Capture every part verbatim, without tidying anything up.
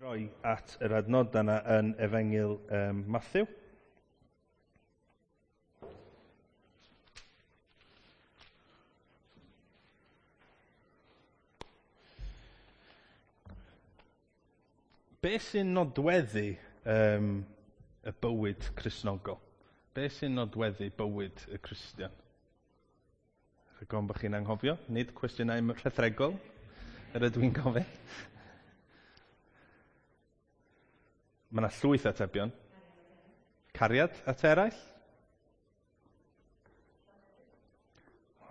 Roi at yr adnodau yna yn Efengyl um, Mathew. Be sy'n nodweddu um, y bywyd Cristnogol? Be sy'n nodweddu bywyd y Cristion? Rhaid gofyn bod chi'n anghofio, nid cwestiynau rhethregol yr ydw i'n gofyn. Mae yna llwyth atebion. Cariad at eraill?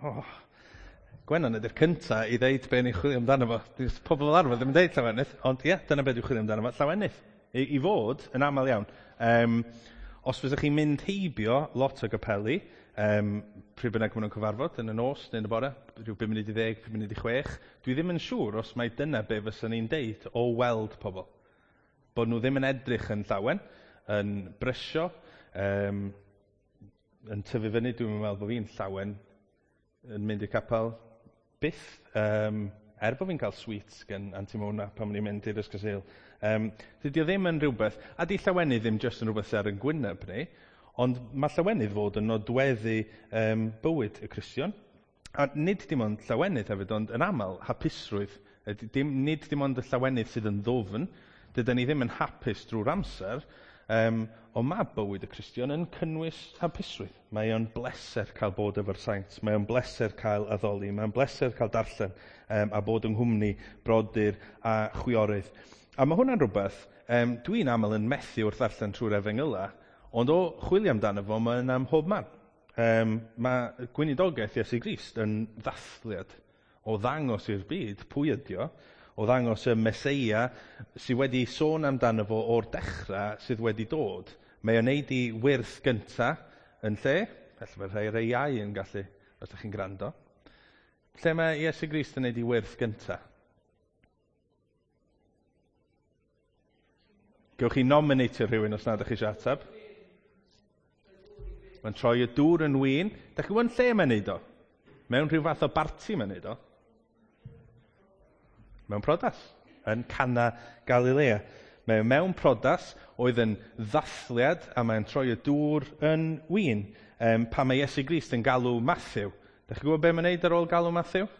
Oh. Gwenan ydy'r cynta i ddeud be ni'n chwilio amdano fo. Dydy pobl fel arfer ddim yn deud llawenydd, ond ie, dyna be dwi'n chwilio amdano fo, llawenydd. I, i fod yn aml iawn. Um, os fysech chi'n mynd heibio lot o gapeli, um, pryd bynnag maen nhw'n cyfarfod, yn y nos neu yn y bore, rhyw bum munud i ddeg, pum munud i chwech, dwi ddim yn siŵr os mai dyna be fysa ni'n deud o weld pobl. Bod nhw ddim yn edrych yn llawen, yn brysio, um, yn tyfu fyny, dwi'n meddwl bod fi'n llawen yn mynd i'r capel byth, um, er bod fi'n cael sweets gan Auntie Mona pan o'n i'n mynd i'r Ysgol Sul. Um, dydy o ddim yn rhywbeth, a di llawenydd ddim jyst yn rhywbeth sydd ar yn gwyneb ni, ond mae llawenydd fod yn nodweddu um, bywyd y Cristion. A nid dim ond llawenydd hefyd, ond yn aml hapusrwydd. Dim, nid dim ond y llawenydd sydd yn ddwfn, dydyn ni ddim yn hapus drwy'r amser, um, ond mae bywyd y Cristion yn cynnwys hapusrwydd. Mae o'n bleser cael bod efo'r saint, mae o'n bleser cael addoli, mae o'n bleser cael darllen um, a bod yng nghwmni brodyr a chwiorydd. A mae hwnna'n rhywbeth, um, dwi'n aml yn methu wrth ddarllen trwy'r Efengyla, ond o chwilio amdano fo, mae yna ym mhob man. Um, mae gweinidogaeth Iesu Grist yn ddathliad o ddangos i'r byd pwy ydi o, o ddangos y Meseia sydd wedi sôn amdano fo o'r dechrau sydd wedi dod. Mae o'n neud i wyrth gynta yn lle, felly mae rhai rhai iau yn gallu, os ydych chi'n gwrando. Lle mae Iesu Grist yn neud i wyrth gynta? Gewch chi nominatio rhywun os nad ydych chi eisiau ateb. Mae'n troi y dŵr yn win. Dach chi'n gwybod lle mae'n neud o? Mewn rhyw fath o barti mae'n neud o. Mewn priodas, yn Cana Galilea. Mae mewn priodas oedd yn ddathliad a mae'n troi y dŵr yn win. Um, pan mae Iesu Grist yn galw Mathew. Dach chi'n gwybod be mae'n neud ar ôl galw Mathew?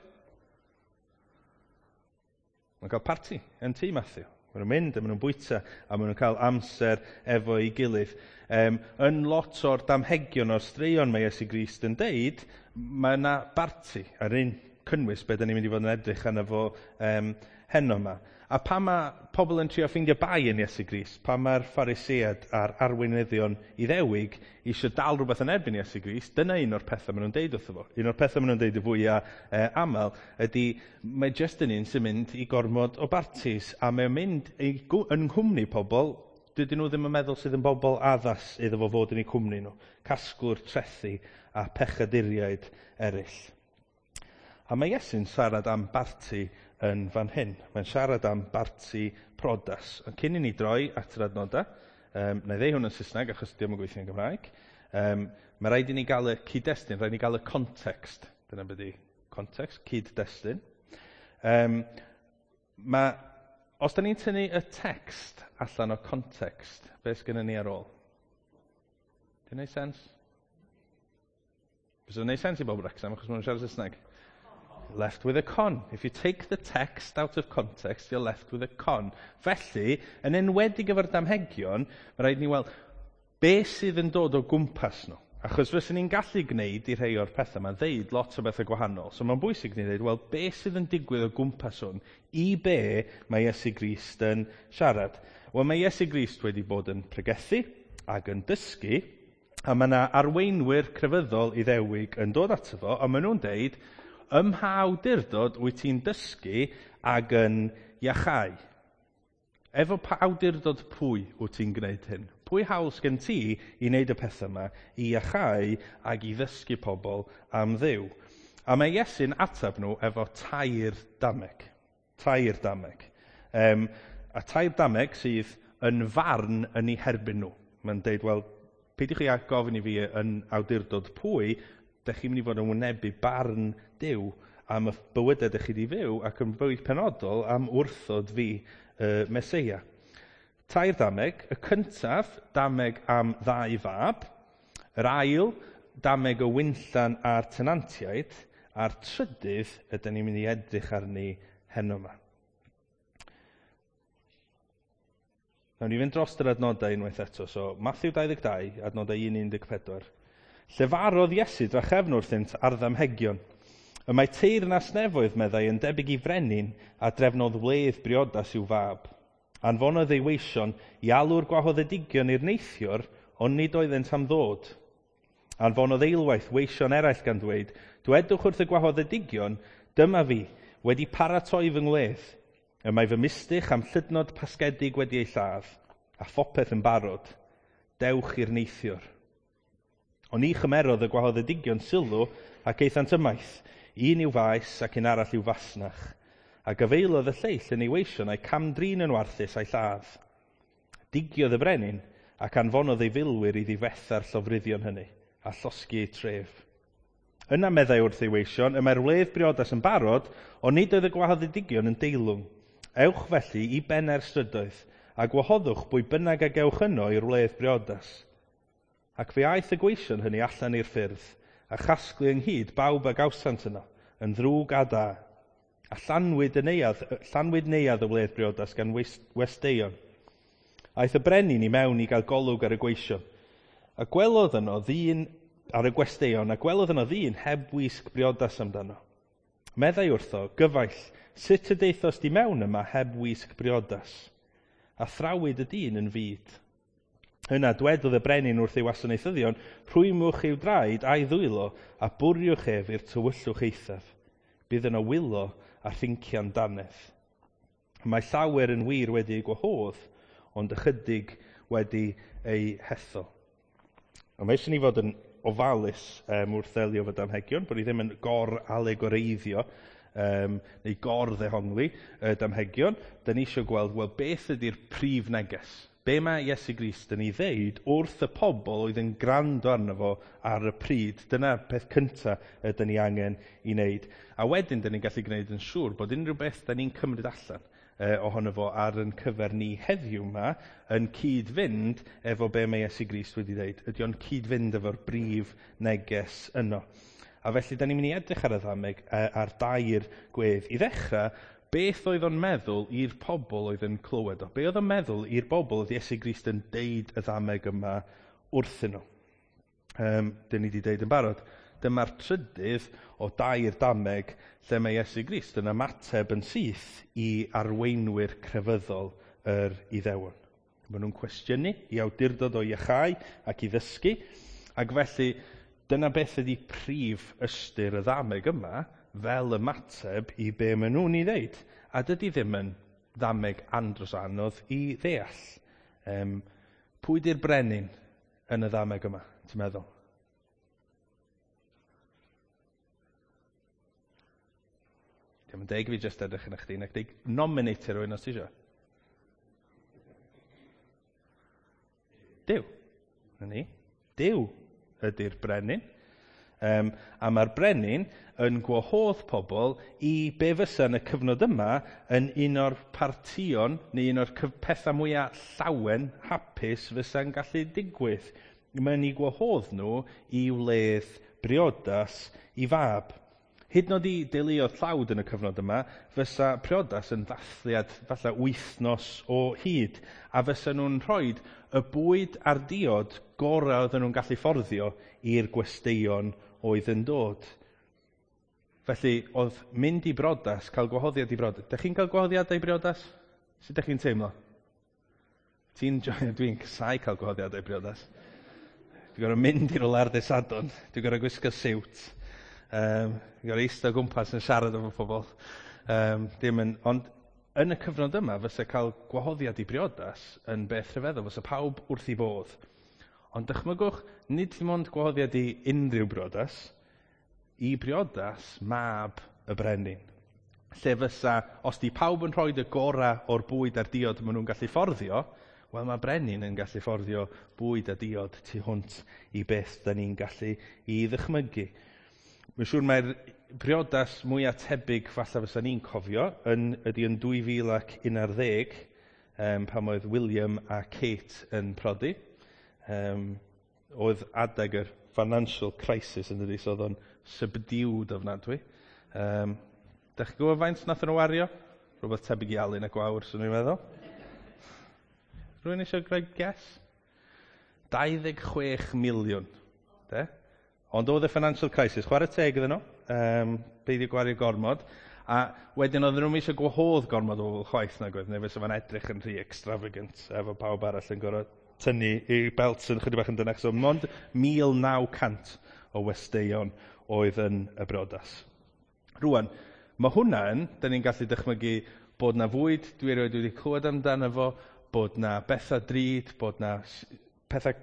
Mae'n cael parti yn tŷ Mathew. Maen nhw'n mynd a maen nhw'n bwyta a maen nhw'n cael amser efo'i gilydd. Um, yn lot o'r damhegion o'r straeon mae Iesu Grist yn deud, mae yna barti ar un cynnwys be da ni'n mynd i fod yn edrych arno fo um, heno yma. A pan mae pobl yn trio ffeindio bai yn Iesu Grist, pan mae'r Phariseaid a'r arweinyddion Iddewig eisiau dal rhywbeth yn erbyn Iesu Grist, dyna un o'r pethau maen nhw'n deud wrtho fo. Un o'r pethau maen nhw'n deud y fwyaf eh, aml ydy mae jyst yn un sy'n mynd i gormod o bartis a mae'n mynd i, yn nghwmni pobl dydyn nhw ddim yn meddwl sydd yn bobl addas iddo fo fod yn eu cwmni nhw. Casglwr trethu a pechaduriaid eraill. A mae Iesu'n siarad am barti yn fan hyn. Mae'n siarad am barti priodas. Ond cyn i ni droi at yr adnodau, um, na i ddeud hwn yn Saesneg achos dio'm yn gweithio yn Gymraeg, um, mae rhaid i ni gael y cyd-destun, rhaid i ni gael y context. Dyna beth ydi context, cyd-destun. Um, mae, os da ni'n tynnu y text allan o context, beth sgynnon ni ar ôl? Di'n neud sens? Fysa o'n neud sens i bobl Wrexham achos maen nhw'n siarad Saesneg. Left with a con. If you take the text out of context, you're left with a con. Felly, yn enwedig efo'r damhegion, mae rhaid ni weld be sydd yn dod o gwmpas nhw. Achos fyswn ni'n gallu gwneud i rhai o'r pethau yma ddeud lot o bethau gwahanol. So mae'n bwysig ni ddeud, wel, be sydd yn digwydd o gwmpas hwn i be mae Iesu Grist yn siarad? Wel, mae Iesu Grist wedi bod yn pregethu ac yn dysgu, a mae yna arweinwyr crefyddol Iddewig yn dod ato fo, a maen nhw'n deud, ym mha awdurdod wyt ti'n dysgu ac yn iachau? Efo pa awdurdod pwy wyt ti'n gwneud hyn? Pwy hawl sgen ti i wneud y pethau yma, i iachau ac i ddysgu pobl am Dduw? A mae Iesu'n ateb nhw efo tair dameg. Tair dameg. Um, a tair dameg sydd yn farn yn eu herbyn nhw. Mae'n deud, wel, peidiwch chi â gofyn i fi yn awdurdod pwy, dych chi'n mynd i fod yn wynebu barn Duw am y bywydau dych chi wedi fyw ac yn fwy penodol am wrthod fi, y Meseia. Tair dameg. Y cyntaf, dameg am ddau fab. Yr ail, dameg y winllan a'r tenantiaid. A'r trydydd, ydyn ni'n mynd i edrych arni heno yma. Nawn ni fynd dros yr adnodau unwaith eto. So, Mathew dau ddeg dau, adnodau un un deg pedwar. Llefarodd Iesu drachefn wrthynt ar ddamhegion. Y mae teyrnas nefoedd, meddai, yn debyg i frenin a drefnodd wledd briodas i'w fab. Anfonodd ei weision i alw'r gwahoddedigion i'r neithiwr, ond nid oeddent am ddod. Anfonodd eilwaith weision eraill gan ddweud, dwedwch wrth y gwahoddedigion, dyma fi, wedi paratoi fy ngwledd. Y mae fy mistych am llydnod pasgedig wedi ei lladd, a phopeth yn barod. Dewch i'r neithiwr. Ond ni chymerodd y gwahoddedigion sylw ac aethant ymaith, un i'w faes ac un arall i'w fasnach. A gyfeilodd y lleill yn ei weision a'i camdrin yn warthus a'i lladd. Digiodd y brenin ac anfonodd ei filwyr i ddifetha'r llofruddion hynny a llosgi eu tref. Yna meddai wrth ei weision, y mae'r wledd briodas yn barod, ond nid oedd y gwahoddedigion yn deilwng. Ewch felly i bennau'r strydoedd, a gwahoddwch bwy bynnag a gewch yno i'r wledd briodas. Ac fe aeth y gweision hynny allan i'r ffyrdd, a chasglu ynghyd bawb a gawsant yno, yn ddrwg a da. A llanwyd, y neuadd, llanwyd neuadd y wledd briodas gan westeion. Aeth y brenin i mewn i gael golwg ar y gweision. A gwelodd yno ddyn ar y gwesteion, a gwelodd yno ddyn heb wisg briodas amdano. Meddai wrtho, gyfaill, sut y deithos di mewn yma heb wisg briodas? A thrawyd y dyn yn fud. Yna dwedodd y brenin wrth ei wasanaethyddion, rhwymwch i'w draed a'i ddwylo, a bwriwch ef i'r tywyllwch eithaf. Bydd yno wylo a rhincian dannedd. Mae llawer yn wir wedi ei gwahodd, ond ychydig wedi ei hethol. A mae eisiau ni fod yn ofalus um, wrth ddelio efo damhegion, bod ni ddim yn gor-alegoreiddio um, neu gor-ddehongli y damhegion. Da ni eisiau gweld, wel, beth ydy'r prif neges? Be mae Iesu Grist yn ei ddeud wrth y pobl oedd yn gwrando arno fo ar y pryd? Dyna'r peth cyntaf ydyn ni angen i wneud. A wedyn, dyn ni'n gallu gwneud yn siŵr bod unrhyw beth da ni'n cymryd allan eh, ohono fo ar yn cyfer ni heddiw yma yn cyd-fynd efo be mae Iesu Grist wedi dweud. Ydy o'n cyd-fynd efo'r brif neges yno. A felly, da ni'n mynd i edrych ar y ddameg ar dair gwedd. I ddechrau, beth oedd o'n meddwl i'r pobl oedd yn clywed o? Be oedd o'n meddwl i'r bobl oedd Iesu Grist yn deud y ddameg yma wrthyn nhw? Um, dyn ni wedi deud yn barod. Dyma'r trydydd o dair dameg lle mae Iesu Grist yn ymateb yn syth i arweinwyr crefyddol yr Iddewon. Maen nhw'n cwestiynu i awdurdod o iachau ac i ddysgu, ac felly dyna beth ydy prif ystyr y ddameg yma fel ymateb i be maen nhw'n ei ddeud. A dydy ddim yn ddameg andros anodd i ddeall. Um, pwy di'r brenin yn y ddameg yma, ti'n meddwl? Diolch yn deg i fi jyst edrych yn chdi, nac deg nominate rhywun os ti isio. Duw. Na ni. Duw ydy'r brenin. Um, a mae'r brenin yn gwahodd pobl i be fysa yn y cyfnod yma yn un o'r partïon neu un o'r pethau mwyaf llawen, hapus fysa'n gallu digwydd. Mae'n ei gwahodd nhw i wledd briodas i fab. Hyd yn oed i deuluoedd tlawd yn y cyfnod yma, fysa priodas yn ddathliad falle wythnos o hyd, a fysa nhw'n rhoi y bwyd a'r diod gorau oedden nhw'n gallu fforddio i'r gwesteion oedd yn dod. Felly, oedd mynd i briodas, cael gwahoddiad i briodas. Dych chi'n cael gwahoddiadau i briodas? Sut dych chi'n teimlo? Ti'n Dwi'n casáu cael gwahoddiadau i briodas. Dwi'n gorfod mynd i rywle ar ddydd Sadwrn. Dwi'n gorfod gwisgo siwt. Um, dwi'n gorfod eistedd o gwmpas yn siarad efo pobl. Um, dim yn, ond yn y cyfnod yma, fysa cael gwahoddiad i briodas yn beth rhyfeddol, fysa pawb wrth i bodd. Ond dychmygwch, nid dim ond gwahoddiad i unrhyw briodas, i briodas mab y brenin. Lle fysa, os di pawb yn rhoi y gorau o'r bwyd a'r diod maen nhw'n gallu fforddio, wel mae brenin yn gallu fforddio bwyd a diod tu hwnt i beth da ni'n gallu i ddychmygu. Mae'n siŵr mae'r briodas mwyaf tebyg falle fysa ni'n cofio yn, ydy yn dwy fil ac un ar ddeg, um, pan oedd William a Kate yn prodi. Um, oedd adeg yr financial crisis yn dydi, so oedd o'n subdued ofnadwy. Um, da chi'n gwybod faint nath nhw wario? Rhywbeth tebyg i Alun a Gwawr, swn i'n meddwl. Rwy'n eisiau gwneud guess? dau ddeg chwech miliwn. De? Ond oedd y financial crisis, chwarae teg iddyn nhw, um, beidio gwario gormod, a wedyn oedden nhw'n eisiau gwahodd gormod o bobl chwaith nag oedd, neu fysa fo'n edrych yn rhy extravagant efo pawb arall yn gorfod tynnu i belt yn chydig bach yn dynach. So mond mil naw cant o westeion oedd yn y briodas. Rwan, mae hwnna yn, da ni'n gallu dychmygu bod na fwyd, dwi erioed wedi clywed amdano fo, bod na bethau drud, bod na pethau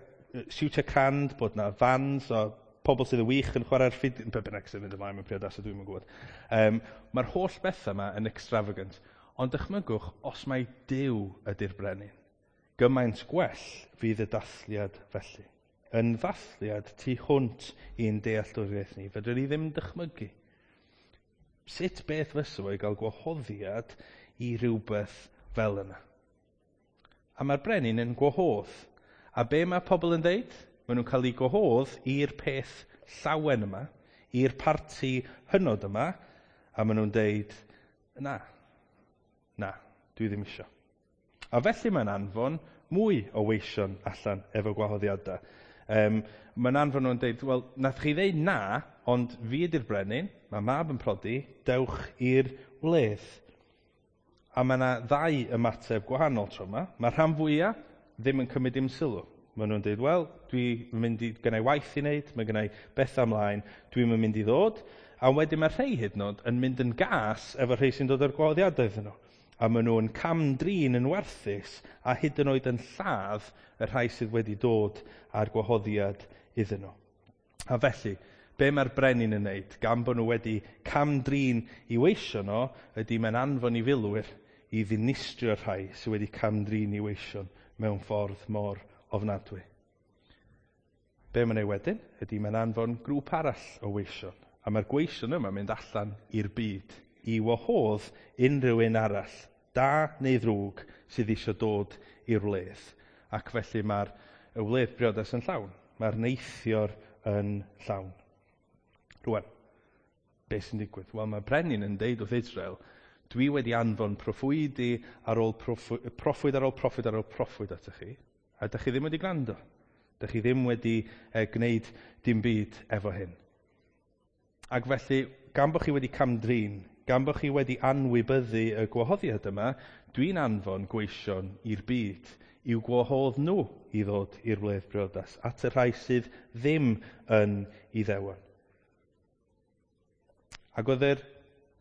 siwtio crand, bod na fans o pobl sydd yn wych yn chwarae'r ffid, be bynnag sy'n mynd ymlaen mewn priodas, dwi'm yn gwybod. Um, Mae'r holl bethau yma yn extravagant. Ond dychmygwch, os mai Duw ydy'r brenin, gymaint gwell fydd y dathliad felly. Yn ddathliad tu hwnt i'n dealltwriaeth ni, fedrwn ni ddim dychmygu. Sut beth fysa fo i gael gwahoddiad i rhywbeth fel yna? A mae'r brenin yn gwahodd. A be mae pobl yn dweud? Maen nhw'n cael eu gwahodd i'r peth llawen yma, i'r parti hynod yma, a maen nhw'n dweud, na, na, dwi ddim isio. A felly mae'n anfon mwy o weision allan efo gwahoddiadau. Um, mae'n anfon nhw'n dweud, wel, nath chi ddeud na, ond fi ydy'r brenin, mae mab yn prodi, dewch i'r wledd. A mae yna ddau ymateb gwahanol tro yma. Mae rhan fwyaf ddim yn cymryd dim sylw. Maen nhw'n dweud, wel, dwi'n mynd i, gennau waith i wneud, mae gennau bethau ymlaen, dwi'n mynd i ddod. A wedyn mae rhai hyd yn oed yn mynd yn gas efo rhai sy'n dod o'r gwahoddiadau iddyn nhw. A maen nhw'n cam-drin yn warthus a hyd yn oed yn lladd y rhai sydd wedi dod â'r gwahoddiad iddyn nhw. A felly, be mae'r brenin yn wneud, gan bod nhw wedi cam-drin i weisio nhw, ydy mae'n anfon i filwyr i ddinistrio'r rhai sydd wedi cam-drin i weision mewn ffordd mor ofnadwy. Be mae'n ei wedyn ydy mae'n anfon grŵp arall o weision. A mae'r gweision yma'n mynd allan i'r byd i wahodd unrhyw un arall, da neu ddrwg, sydd eisiau dod i'r wledd. Ac felly mae'r y wledd briodas yn llawn. Mae'r neithior yn llawn. Rwan, beth sy'n digwydd? Wel, mae brenin yn deud wrth Israel, dwi wedi anfon proffwydi ar ôl proffwyd, proffwyd ar ôl proffwyd ar ôl proffwyd atoch chi, a dych chi ddim wedi gwrando. Dych chi ddim wedi eh, gwneud dim byd efo hyn. Ac felly, gan bod chi wedi cam-drin, gan bod chi wedi anwybyddu y gwahoddiad yma, dwi'n anfon gweision i'r byd i'w gwahodd nhw i ddod i'r wledd briodas, at y rhai sydd ddim yn Iddewon. Ac oedd yr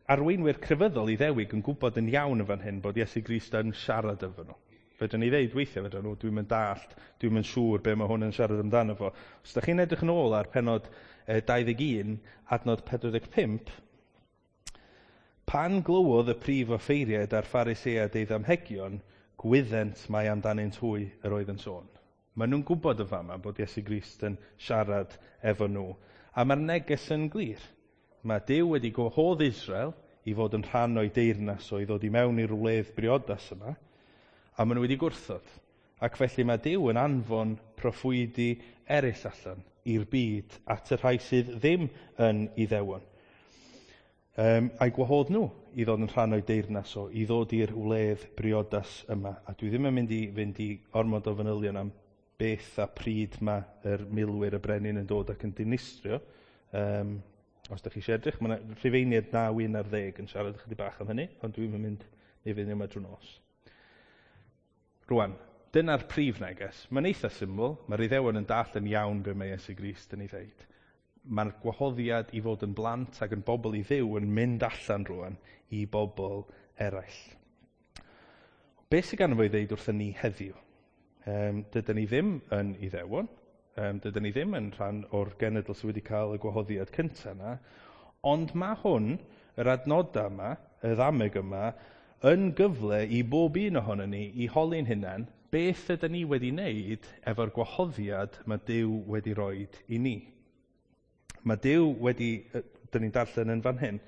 arweinwyr crefyddol Iddewig yn gwybod yn iawn yn fan hyn bod Iesu Grist yn siarad efo nhw. Fedrwn ni ddeud weithiau, fedrwn nhw, dwi'm yn dallt, dwi'm yn siŵr be mae hwn yn siarad amdano fo. Os da chi'n edrych yn ôl ar penod dau ddeg un, adnod pedwar deg pump, pan glywodd y prif offeiriaid a'r Phariseaid ei ddamhegion, gwyddent mai amdanynt hwy yr oedd yn sôn. Maen nhw'n gwybod yn fama bod Iesu Grist yn siarad efo nhw. A mae'r neges yn glir. Mae Duw wedi gwahodd Israel i fod yn rhan o'i deyrnas o i ddod i mewn i'r wledd briodas yma, a maen nhw wedi gwrthod. Ac felly mae Duw yn anfon proffwydi eraill allan i'r byd at y rhai sydd ddim yn Iddewon. Um, a'i gwahodd nhw i ddod yn rhan o'i deyrnas o, i ddod i'r wledd briodas yma. A dwi ddim yn mynd i fynd i ormod o fanylion am beth a pryd mae yr milwyr y brenin yn dod ac yn dinistrio. Um, os ydych chi eisiau edrych, mae yna Rhufeiniaid naw un ar ddeg yn siarad ychydig bach am hynny, ond dwi'n mynd i fynd yma drwy nos. Rwan, dyna'r prif neges. Mae'n eitha syml, mae'r Iddewon yn dallt yn iawn be mae Iesu Grist yn ei ddeud. Mae'r gwahoddiad i fod yn blant ac yn bobl i Dduw yn mynd allan rwan i bobl eraill. Be sydd ganddo fo i ddeud wrthyn ni heddiw? Um, dydyn ni ddim yn Iddewon, um, dydyn ni ddim yn rhan o'r genedl sydd wedi cael y gwahoddiad cyntaf yna, ond mae hwn, yr adnodau yma, y ddameg yma, yn gyfle i bob un ohonon ni i holi'n hunain beth ydyn ni wedi wneud efo'r gwahoddiad mae Duw wedi roed i ni. Mae Duw wedi, dyn ni'n darllen yn fan hyn,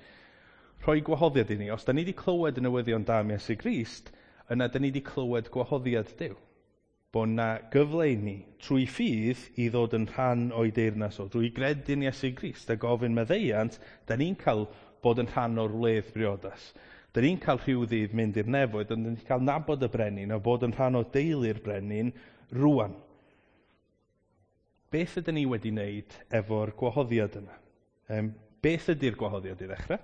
rhoi gwahoddiad i ni. Os da ni wedi clywed y newyddion da am Iesu Grist, yna dyn ni wedi clywed gwahoddiad Duw. Bod na gyfle i ni trwy ffydd i ddod yn rhan o'i deyrnas o, drwy gredu'n Iesu Grist a gofyn maddeuant, da ni'n cael bod yn rhan o'r wledd briodas. Da ni'n cael rhyw ddydd mynd i'r nefoedd, ond ni'n cael nabod y brenin a bod yn rhan o deulu'r brenin rwan. Beth ydyn ni wedi wneud efo'r gwahoddiad yma? Um, beth ydy'r gwahoddiad i ddechrau?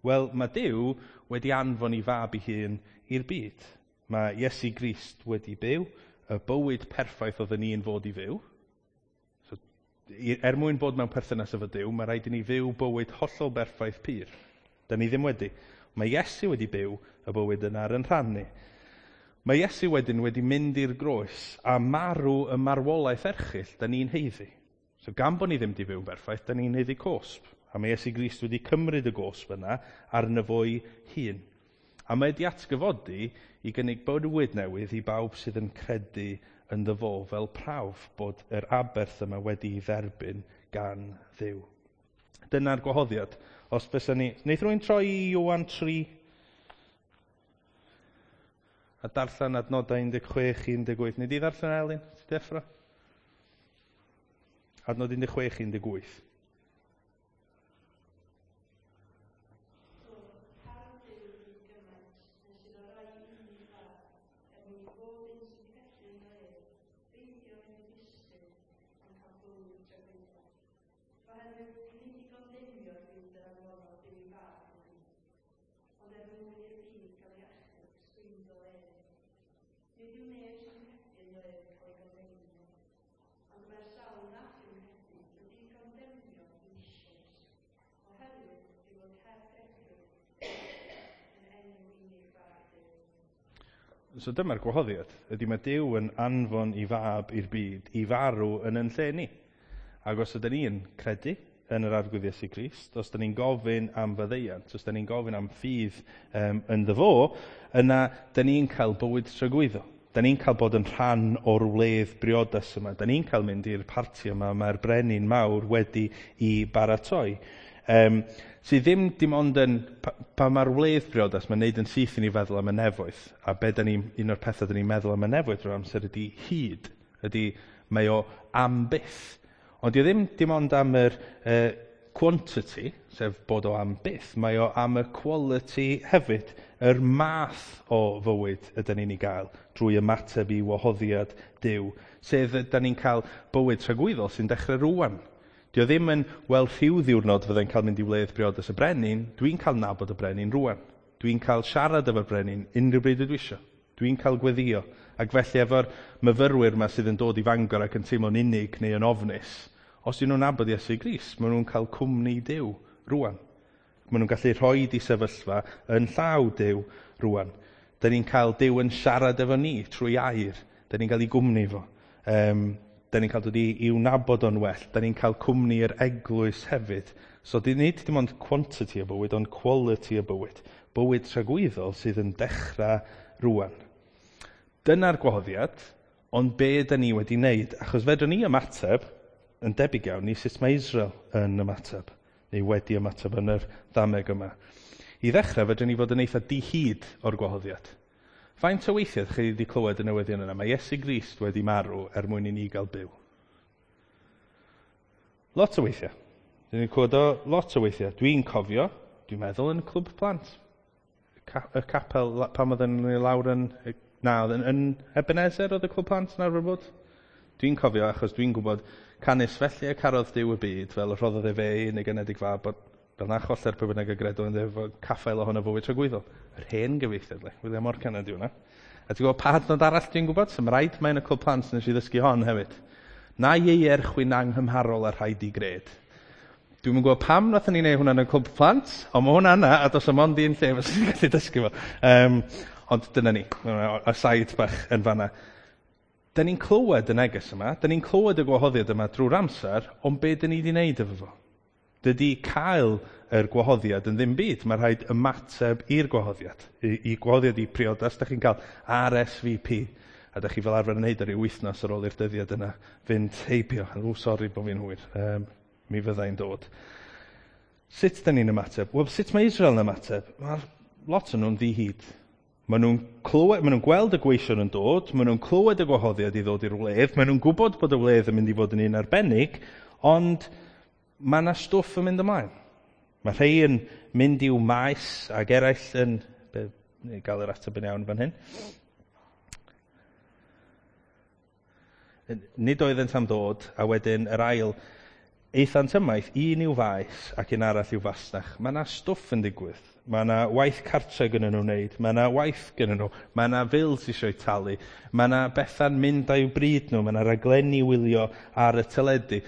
Wel, mae Duw wedi anfon ei fab ei hun i'r byd. Mae Iesu Grist wedi byw y bywyd perffaith oedden ni'n fod i fyw. So, er mwyn bod mewn perthynas efo Duw, mae rhaid i ni fyw bywyd hollol berffaith pur. Da ni ddim wedi. Mae Iesu wedi byw y bywyd yna ar yn rhan ni. Mae Iesu wedyn wedi mynd i'r groes a marw y marwolaeth erchyll da ni'n haeddu. So gan bod ni ddim wedi byw'n berffaith, da ni'n haeddu cosb. A mae Iesu Grist wedi cymryd y gosb yna arno fo'i hun. A mae wedi atgyfodi i gynnig bywyd newydd i bawb sydd yn credu ynddo fo fel prawf bod yr aberth yma wedi'i dderbyn gan Dduw. Dyna'r gwahoddiad. Os fysa ni... Wneith rhywun troi i Ioan tri a darllen adnodau un deg chwech i un deg wyth. Neu di ddarllen Elin? Ti deffro? Adnod un deg chwech i un deg wyth. So dyma'r gwahoddiad, ydy mae Duw yn anfon i fab i'r byd i farw yn yn lle ni. Ac os ydyn ni'n credu yn yr Arglwydd Iesu Grist, os ydyn ni'n gofyn am faddeuant, os ydyn ni'n gofyn am ffydd um, ynddo fo, yna dyn ni'n cael bywyd tragwyddo. Dyn ni'n cael bod yn rhan o'r wledd briodas yma. Dyn ni'n cael mynd i'r parti yma mae'r brenin mawr wedi i baratoi. Um, sydd ddim dim ond yn, pa, pa mae'r wledd briodas, mae'n neud yn syth i ni feddwl am y nefoedd. A be da ni, un o'r pethau da ni'n meddwl am y nefoedd drwy'r amser ydy hyd, ydy mae o am byth. Ond dio ddim dim ond am yr uh, quantity, sef bod o am byth, mae o am y quality hefyd, yr math o fywyd ydyn ni'n ei gael drwy ymateb i wahoddiad Duw, sef ydyn ni'n cael bywyd tragwyddol sy'n dechrau rwan. Dio ddim yn, wel, rhyw ddiwrnod fyddai'n cael mynd i wledd briodas y brenin, dwi'n cael nabod y brenin rwan. Dwi'n cael siarad efo'r brenin unrhyw bryd ydw isio. Dwi'n cael gweddio. Ac felly efo'r myfyrwyr yma sydd yn dod i Fangor ac yn teimlo'n unig neu yn ofnus, os ydyn nhw'n nabod Iesu Grist, maen nhw'n cael cwmni Duw rwan. Maen nhw'n gallu rhoi di sefyllfa yn llaw Duw rwan. Da ni'n cael Duw yn siarad efo ni trwy air. Da ni'n cael ei gwmni fo. Um, Da ni'n cael dod i, i'w nabod o'n well. Da ni'n cael cwmni yr eglwys hefyd. So nid dim ond quantity o bywyd, ond quality o bywyd. Bywyd tragwyddol sydd yn dechrau rwan. Dyna'r gwahoddiad, ond be da ni wedi wneud? Achos fedrwn ni ymateb, yn debyg iawn i sut mae Israel yn ymateb, neu wedi ymateb yn yr ddameg yma. I ddechrau, fedrwn ni fod yn eitha dihyd o'r gwahoddiad. Faint o weithiau chi wedi clywed y newyddion yna? Mae Iesu Grist wedi marw er mwyn i ni gael byw. Lot o weithiau. Dwi'n ni'n clywed o lot o weithiau. Dwi'n cofio, dwi'n meddwl yn y clwb plant. Y capel, pan oedden ni lawr yn... Na, yn, yn Ebenezer oedd y clwb plant yn arfer bod? Dwi'n cofio achos dwi'n gwybod canys felly y carodd Duw y byd fel y rhoddodd e fe ei unig anedig fab bod fel na choller pwy bynnag y gredo yn efo caffael ohono fywyd tragwyddol. Yr hen gyfieithiad, le. William Morgan ydi hwnna. A ti'n gwybod pa adnod arall dwi'n gwybod? So mae rhaid mae yn y clwb plant nes i ddysgu hon hefyd. Na ieier chwyn anghymharol a rhaid i gred. Dwi'm yn gwybod pam nathon ni wneud hwnna yn y clwb plant, ond mae hwnna yna, a does 'am ond un lle fysa ni'n gallu dysgu fo. Um, ond dyna ni, aside bach yn fanna. Da ni'n clywed y neges yma, da ni'n clywed y gwahoddiad yma drwy'r amser, ond be da ni wedi wneud efo fo? Dydy cael yr gwahoddiad yn ddim byd. Mae rhaid ymateb i'r gwahoddiad. I, i gwahoddiad i priodas, da chi'n cael R S V P. A da chi fel arfer yn neud ar ryw wythnos ar ôl i'r dyddiad yna fynd heibio. O, sori bod fi'n hwyr. Um, mi fyddai'n dod. Sut da ni'n ymateb? Wel, sut mae Israel yn ymateb? Mae lot o'n nhw'n ddi-hid. Maen nhw'n clywed, maen nhw'n gweld y gweision yn dod, maen nhw'n clywed y gwahoddiad i ddod i'r wledd, maen nhw'n gwybod bod y wledd yn mynd i fod yn un arbennig, ond mae yna stwff yn mynd ymlaen. Mae rhai yn mynd i'w maes ac eraill yn... Be, neu gael yr ateb yn iawn fan hyn. Nid oeddent am ddod, a wedyn yr ail, aethant ymaith, un i'w faes ac un arall i'w fasnach. Mae yna stwff yn digwydd. Mae yna waith cartre gyda nhw'n wneud. Mae yna waith gyda nhw. Mae yna fils eisiau talu. Mae yna bethau'n mynd â'u bryd nhw. Mae yna raglenni wylio ar y teledu.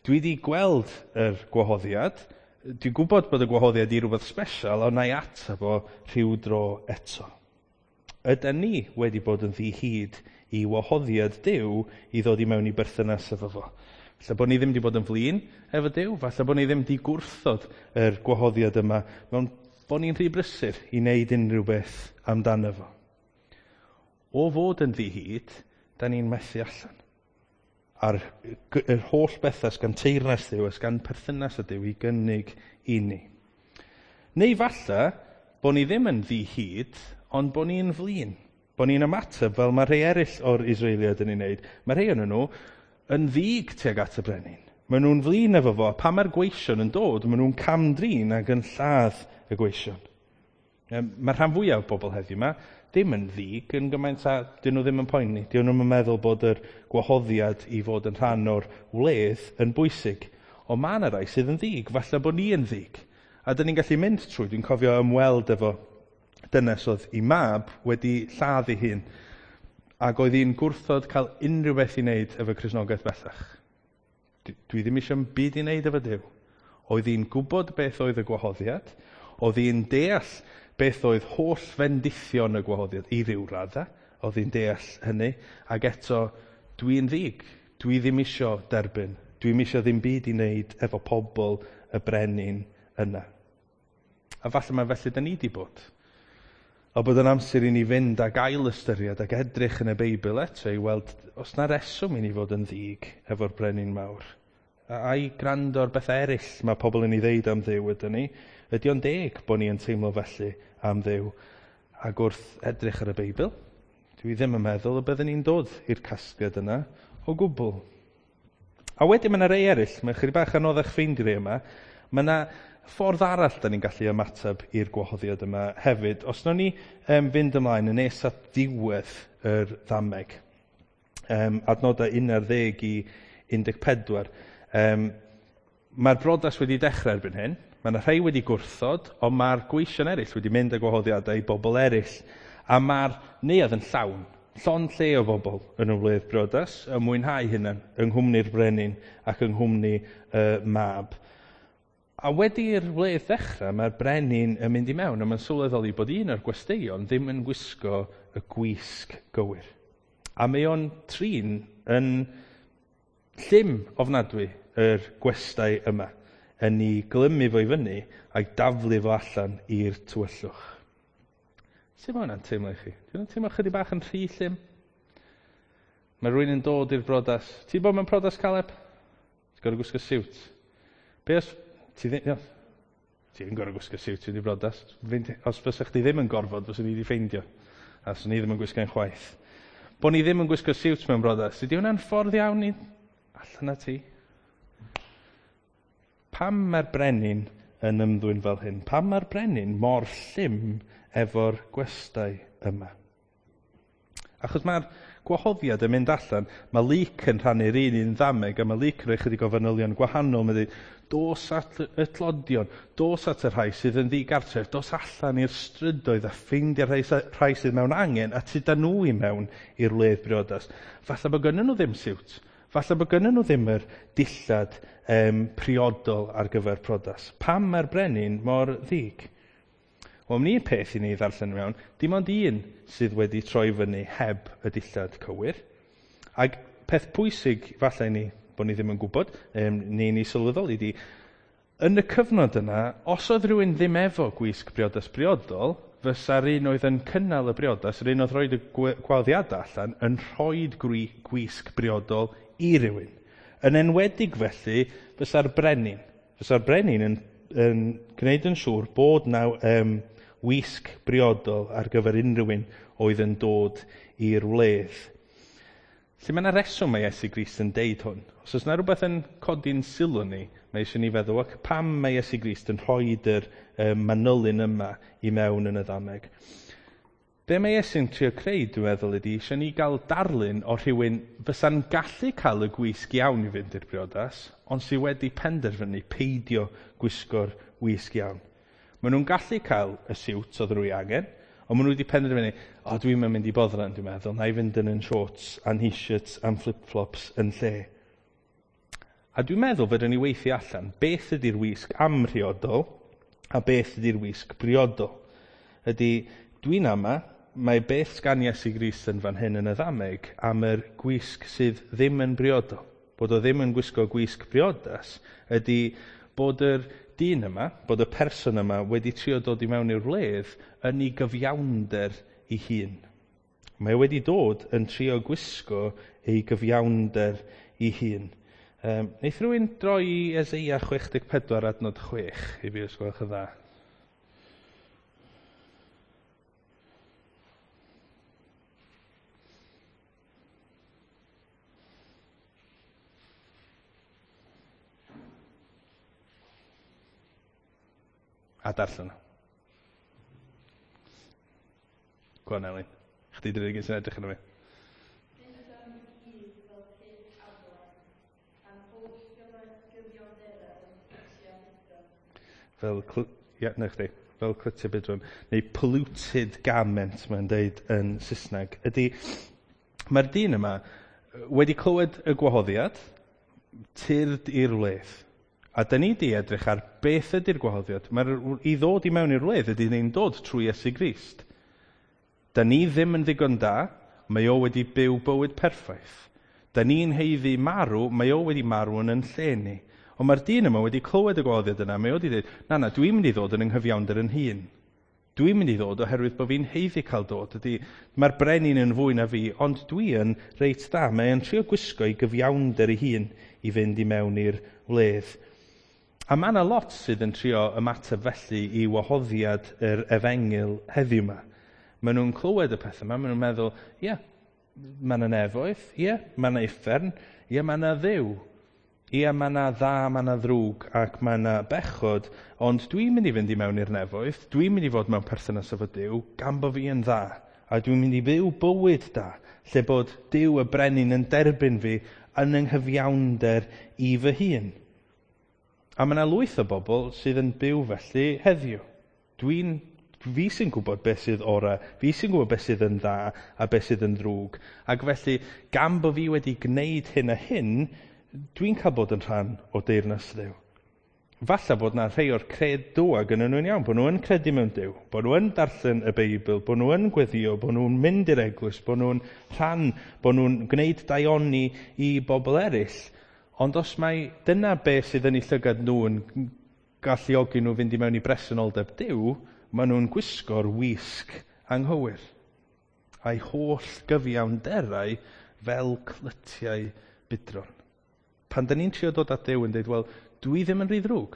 Dwi wedi gweld yr gwahoddiad. Dwi'n gwybod bod y gwahoddiad i rhywbeth special, ond na i ateb o rhyw dro eto. Ydyn ni wedi bod yn ddi-hid i wahoddiad Duw i ddod i mewn i berthynas efo fo? Falle bod ni ddim wedi bod yn flin efo Duw, falle bod ni ddim wedi gwrthod yr gwahoddiad yma, mewn bod ni'n rhy brysur i wneud unrhyw beth amdano fo. O fod yn ddi-hid, da ni'n methu allan. A'r yr holl bethau sgan teyrnas Duw, sgan perthynas y Duw i gynnig i ni. Neu falle bod ni ddim yn ddi-hid, ond bod ni'n flin. Bod ni'n ymateb fel mae rhai eraill o'r Israeliaid yn ei wneud. Mae rhai ohonyn nhw yn ddig tuag at y brenin. Maen nhw'n flin efo fo. Pan mae'r gweision yn dod, maen nhw'n camdrin ac yn lladd y gweision. Mae'r rhan fwyaf o bobl heddiw yma ddim yn ddig yn gymaint a dyn nhw ddim yn poeni. Dyn nhw'n meddwl bod yr gwahoddiad i fod yn rhan o'r wledd yn bwysig. Ond mae yna rai sydd yn ddig. Falle bod ni yn ddig. A dyn ni'n gallu mynd trwy. Dwi'n cofio ymweld efo dynes oedd ei mab wedi lladd ei hun. Ac oedd hi'n gwrthod cael unrhyw beth i wneud efo Cristnogaeth bellach. Dwi ddim eisiau byd i wneud efo Duw. Oedd hi'n gwybod beth oedd y gwahoddiad. Oedd hi'n deall beth oedd holl fendithion y gwahoddiad i ryw raddau. Oedd hi'n deall hynny. Ac eto, dwi'n ddig. Dwi ddim eisiau derbyn. Dwi'm eisiau ddim byd i wneud efo pobl y brenin yna. A falle mae felly da ni di bod. A bod yn amser i ni fynd ag ail ystyried ac edrych yn y Beibl eto i weld os na reswm i ni fod yn ddig efo'r brenin mawr. A'i gwrando ar bethau eraill mae pobl yn ei ddeud am Dduw ydyn ni. Ydy o'n deg bod ni yn teimlo felly am Dduw? Ac wrth edrych ar y Beibl, dwi ddim yn meddwl y byddwn ni'n dod i'r casgliad yna o gwbl. A wedyn mae yna rei eraill, mae chydig bach anoddach ffeindio rei yma, mae yna ffordd arall da ni'n gallu ymateb i'r gwahoddiad yma hefyd. Os nawn ni um, fynd ymlaen yn nes at diwedd yr ddameg, um, adnodau un ar ddeg i un deg pedwar, um, mae'r brodas wedi dechrau erbyn hyn. Mae yna rhai wedi gwrthod, ond mae'r gweision eraill wedi mynd â gwahoddiadau i bobl eraill. A mae'r neuadd yn llawn, llond lle o bobl yn y wledd briodas, yn mwynhau hunan, yng nghwmni'r brenin ac yng nghwmni y mab. A wedi'r wledd ddechrau, mae'r brenin yn mynd i mewn, a mae'n sylweddoli bod un o'r gwesteion ddim yn gwisgo y gwisg gywir. A mae o'n trin yn llym ofnadwy yr gwestai yma, yn ei glymu fo i fyny a'i daflu fo allan i'r tywyllwch. Sut mae hwnna'n teimlo i chi? Dwi'n teimlo chydig bach yn rhy llym? Mae rhywun yn dod i'r brodas. Ti'n bod mewn prodas, Caleb? Ti'n gorfod gwisgo siwt. Be os... Ti ddim, ti ddim gorfod gwisgo siwt i brodas. Os fysa chdi ddim yn gorfod, fyswn i wedi ffeindio. A swn i ddim yn gwisgo'n chwaith. Bo ni ddim yn gwisgo siwt mewn brodas. Ydy hwnna'n ffordd iawn i allan â ti? Pam mae'r brenin yn ymddwyn fel hyn? Pam mae'r brenin mor llym efo'r gwestai yma? Achos mae'r gwahoddiad yn mynd allan, mae Luc yn rhannu'r un un ddameg, a mae Luc yn rhoi chydig o fanylion gwahanol. Mae'n dweud, dos at y tlodion, dos at y rhai sydd yn ddigartref, dos allan i'r strydoedd a ffeindio'r rhai, rhai sydd mewn angen, a tyda nhw i mewn i'r wledd briodas. Falle bod gynnyn nhw ddim siwt, falle bod gynnyn nhw ddim yr dillad um, priodol ar gyfer priodas. Pam mae'r brenin mor ddig? Wel, un peth i ni ddarllen mewn, dim ond un sydd wedi troi fyny heb y dillad cywir. Ac peth pwysig falle i ni, bod ni ddim yn gwybod, um, neu ni sylweddoli di, yn y cyfnod yna, os oedd rhywun ddim efo gwisg briodas briodol, fysa'r un oedd yn cynnal y briodas, yr un oedd rhoid y gwahoddiadau allan, yn rhoid gwisg briodol i rywun. Yn enwedig felly, fysa'r brenin. Fysa'r brenin yn, yn gwneud yn siŵr bod na um, wisg briodol ar gyfer unrhyw un oedd yn dod i'r wledd. Felly mae yna reswm mae Iesu Grist yn deud hwn. Os oes yna rhywbeth yn codi'n sylw ni, mae eisiau ni feddwl, ac pam mae Iesu Grist yn rhoi yr um, manylyn yma i mewn yn y ddameg? Be mae Iesu'n trio creu, dwi'n meddwl, ydy eisiau ni gael darlun o rhywun fysa'n gallu cael y gwisg iawn i fynd i'r briodas, ond sydd wedi penderfynu peidio gwisgo'r wisg iawn. Maen nhw'n gallu cael y siwt oedd nhw ei angen, ond maen nhw wedi penderfynu, o, dwi'n mynd i boddran, dwi'n meddwl, na i fynd yn yn shorts a'n t-shirts a'n flip-flops yn lle. A dwi'n meddwl fedrwn ni weithio allan beth ydy'r wisg amhriodol a beth ydy'r wisg briodol. Ydy, dwi'n ama, mae beth sgan Iesu Grist yn fan hyn yn y ddameg am yr gwisg sydd ddim yn briodol. Bod o ddim yn gwisgo gwisg briodas ydy bod yr dyn yma, bod y person yma wedi trio dod i mewn i'r wledd yn ei gyfiawnder ei hun. Mae o wedi dod yn trio gwisgo ei gyfiawnder ei hun. Um, neith rhywun droi i Eseia chwech deg pedwar adnod chwech i fi os gwelwch yn dda. A darllen o. Go on, Elin. Chdi di'r unig un sy'n edrych arno fi. Fel, ie, na chdi, fel clytiau budron, neu polluted garment, mae'n deud yn Saesneg, ydy, mae'r dyn yma wedi clywed y gwahoddiad, tyrd i'r wledd. A dyn ni di edrych ar beth ydy'r gwahoddiad. Mae'r i ddod i mewn i'r wledd ydy ni'n dod trwy Iesu Grist. Dyn ni ddim yn ddigon da, mae o wedi byw bywyd perffaith. Dyn ni'n haeddu marw, mae o wedi marw yn yn lle ni. Ond mae'r dyn yma wedi clywed y gwahoddiad yna, mae o wedi dweud, na na, dwi'n mynd i ddod yn ynghyfiawnder yn hun. Dwi'n mynd i ddod oherwydd bod fi'n haeddu cael dod. Ydy, mae'r brenin yn fwy na fi, ond dwi yn reit dda. Mae o'n trio gwisgo i gyfiawnder ei hun i fynd i mewn i'r wledd. A mae yna lot sydd yn trio ymateb felly i wahoddiad yr efengyl heddiw yma. Maen nhw'n clywed y pethau yma, maen nhw'n meddwl, ie, yeah, mae yna nefoedd, ie, yeah, mae yna uffern, ie, yeah, mae yna Dduw. Ie, mae yna dda, mae yna ddrwg ac mae yna bechod, ond dwi'n mynd i fynd i mewn i'r nefoedd, dwi'n mynd i fod mewn perthynas efo Duw, gan bo fi yn dda, a dwi'n mynd i fyw bywyd da, lle bod Duw y brenin yn derbyn fi yn yng nghyfiawnder i fy hun. A mae yna lwyth o bobl sydd yn byw felly heddiw. Dwi'n, fi sy'n gwybod beth sydd ora, fi sy'n gwybod beth sydd yn dda a beth sydd yn ddrwg. Ac felly, gan bo fi wedi gwneud hyn a hyn, dwi'n cael bod yn rhan o deyrnas Dduw. Falle bod na rhai o'r credoau gyda nhw'n iawn, bod nhw yn credu mewn Duw, bod nhw yn darllen y Beibl, bod nhw yn gweddio, bod nhw'n mynd i'r eglwys, bod nhw'n rhan, bod nhw'n gwneud daioni i bobl eraill. Ond os mai dyna beth sydd yn eu llygad nhw yn galluogi nhw fynd i mewn i bresenoldeb Duw, maen nhw'n gwisgo'r wisg anghywir. A'i holl gyfiawnderau fel clytiau budron. Pan dyn ni'n trio dod at Duw yn dweud, wel, dwi ddim yn rhy ddrwg.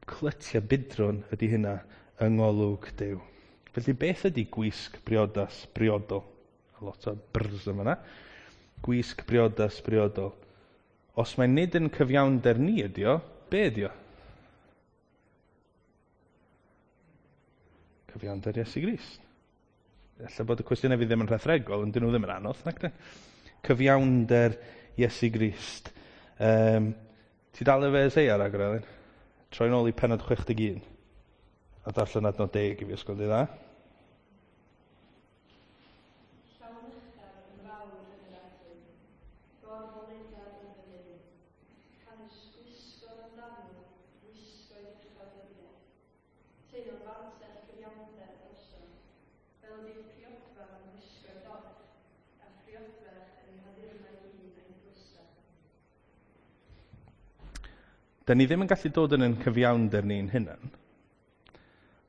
Clytiau budron ydy hynna yng ngolwg Duw. Felly beth ydy gwisg briodas briodol? A lot o brrs yma yna. Gwisg briodas briodol. Os mae nid yn cyfiawnder ni ydy o, be ydy o? Cyfiawnder Iesu Grist. Ella bod y cwestiynau fi ddim yn rhethregol, ond dyn nhw ddim yn anodd, nac dyn? Cyfiawnder Iesu Grist. Um, ti dal efo Eseia ragor, Elin? Troi nôl i pennod chwech deg un. A darllen adnod deg i fi os gweld i dda. Da ni ddim yn gallu dod yn ein cyfiawnder ni'n hunan,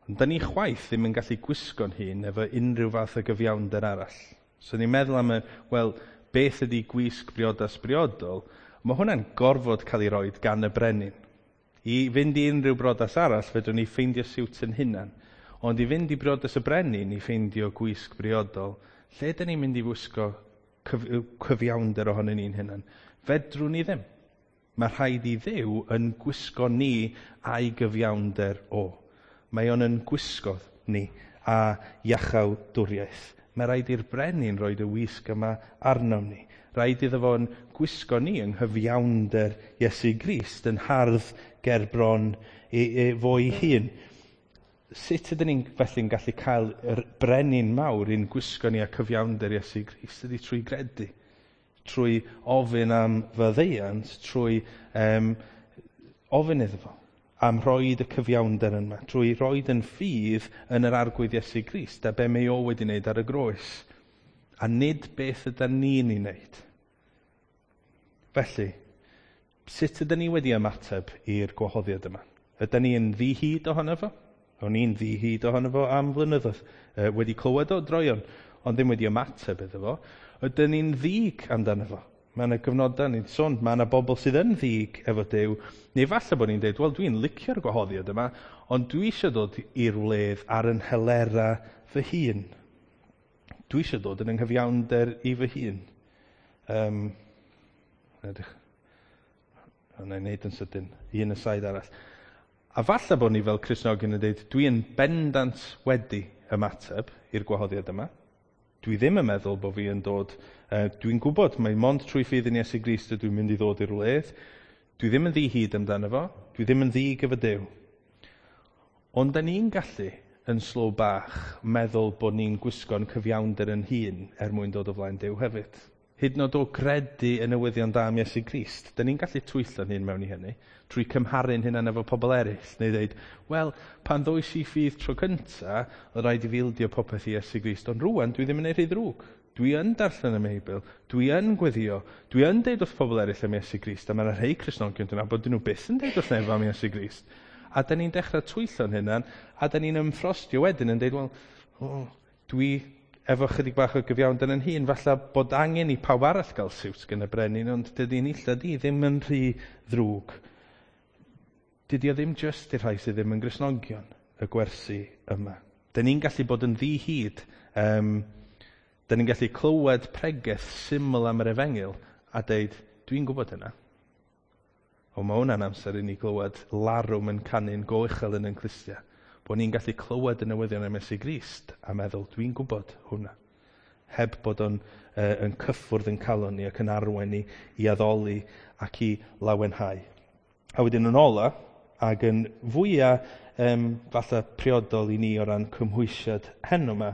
ond da ni chwaith ddim yn gallu gwisgo'n hun efo unrhyw fath o gyfiawnder arall. So ni'n meddwl am y, wel, beth ydy gwisg briodas briodol, mae hwnna'n gorfod cael ei roed gan y brenin. I fynd i unrhyw briodas arall, fedrwn ni ffeindio siwt yn hunan. Ond i fynd i briodas y brenin i ffeindio gwisg briodol, lle ydyn ni'n mynd i wisgo cyf cyfiawnder ohonyn ni'n hunan? Fedrwn ni ddim. Mae rhaid i Dduw yn gwisgo ni a'i gyfiawnder o. Mae o'n yn gwisgo ni a iachawdwriaeth. Mae rhaid i'r brenin roed y wisg yma arnom ni. Rhaid iddo fo'n gwisgo ni yng nghyfiawnder Iesu Grist yn hardd gerbron e, e, fo'i hun. Sut ydyn ni'n felly'n gallu cael yr brenin mawr i'n gwisgo ni a cyfiawnder Iesu Grist? Ydy trwy gredu, trwy ofyn am faddeuant, trwy um, ofyn iddo fo am roed y cyfiawnder yma, trwy roed yn ffydd yn yr Arglwydd Iesu Grist a be mae o wedi wneud ar y groes, a nid beth ydyn ni'n ei wneud. Felly, sut ydyn ni wedi ymateb i'r gwahoddiad yma? Ydyn ni yn ddi-hid ohono fo? O'n i'n ddi-hid ohono fo am flynyddoedd, e, wedi clywed o droeon, ond ddim wedi ymateb iddo fo. Ydyn ni'n ddig amdano fo? Mae yna gyfnodau ni'n sôn, mae yna bobl sydd yn ddig efo Duw, neu falle bod ni'n dweud, wel, dwi'n licio'r gwahoddiad yma, ond dwi eisiau dod i'r wledd ar yn helera fy hun. Dwi eisiau dod yn ynghyfiawnder i fy hun. Um, edrych. Wna i wneud yn sydyn, un aside arall. A falle bod ni fel Cristnogion yn dweud, dwi yn bendant wedi ymateb i'r gwahoddiad yma. Dwi ddim yn meddwl bod fi yn dod, uh, dwi'n gwybod mai mond trwy ffydd yn Iesu Grist ydw i'n mynd i ddod i'r wledd. Dwi ddim yn ddi-hid amdano fo, dwi ddim yn ddig efo Duw. Ond da ni'n gallu yn slow bach meddwl bod ni'n gwisgo'n cyfiawnder yn hun er mwyn dod o flaen Duw hefyd. Hyd yn oed o gredu y newyddion da am Iesu Grist, da ni'n gallu twyllo'n hun mewn i hynny, trwy cymharu'n hunan efo pobl eraill, neu dweud, wel, pan ddois i ffydd tro cynta, oedd rhaid i fi ildio popeth i Iesu Grist, ond rŵan dwi ddim yn ei rhy ddrwg. Dwi yn darllen y Beibl, dwi yn gweddio, dwi yn deud wrth pobl eraill am Iesu Grist, a mae yna rhai Cristnogion dwi'n nabod, dyn nhw byth yn deud wrth neb am Iesu Grist. A da ni'n dechrau twyllo'n hunan, a da ni'n ymffrostio wedyn yn deud, wel, oh, dwi efo chydig bach o gyfiawnder yn hun, falle bod angen i pawb arall gael siwt gan y brenin, ond dydy'n illad i ddim yn rhy ddrwg. Dydy o ddim jyst i'r rhai sydd ddim yn Gristnogion, y gwersi yma. Dyn ni'n gallu bod yn ddi-hid, um, dyn ni'n gallu clywed pregeth syml am yr efengyl a deud, dwi'n gwybod hynna. O, mae hwnna'n amser i ni glywed larwm yn canu'n go uchel yn ein clustiau. Bod ni'n gallu clywed y newyddion am Iesu Grist a meddwl, dwi'n gwybod hwnna. Heb bod o'n uh, yn cyffwrdd yn calon ni ac yn arwain ni i addoli ac i lawenhau. A wedyn yn ola, ac yn fwyaf um, falle priodol i ni o ran cymhwysiad heno yma,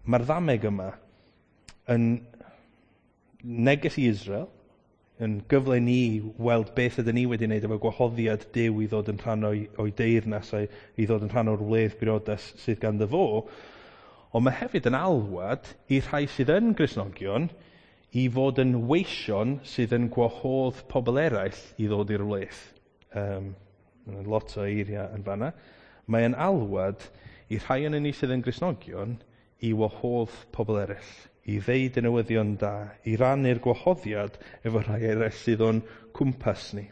mae'r ddameg yma yn neges i Israel, yn gyfle ni weld beth ydyn ni wedi wneud efo gwahoddiad Duw i ddod yn rhan o'i, o'i deyrnas a'i, i ddod yn rhan o'r wledd briodas sydd ganddo fo, ond mae hefyd yn alwad i rhai sydd yn Gristnogion i fod yn weision sydd yn gwahodd pobl eraill i ddod i'r wledd. Um, lot o eiriau yn fanna. Mae yn alwad i rhai yn ni sydd yn Gristnogion i wahodd pobl eraill, i ddeud y newyddion da, i rannu'r gwahoddiad efo rhai eraill sydd o'n cwmpas ni.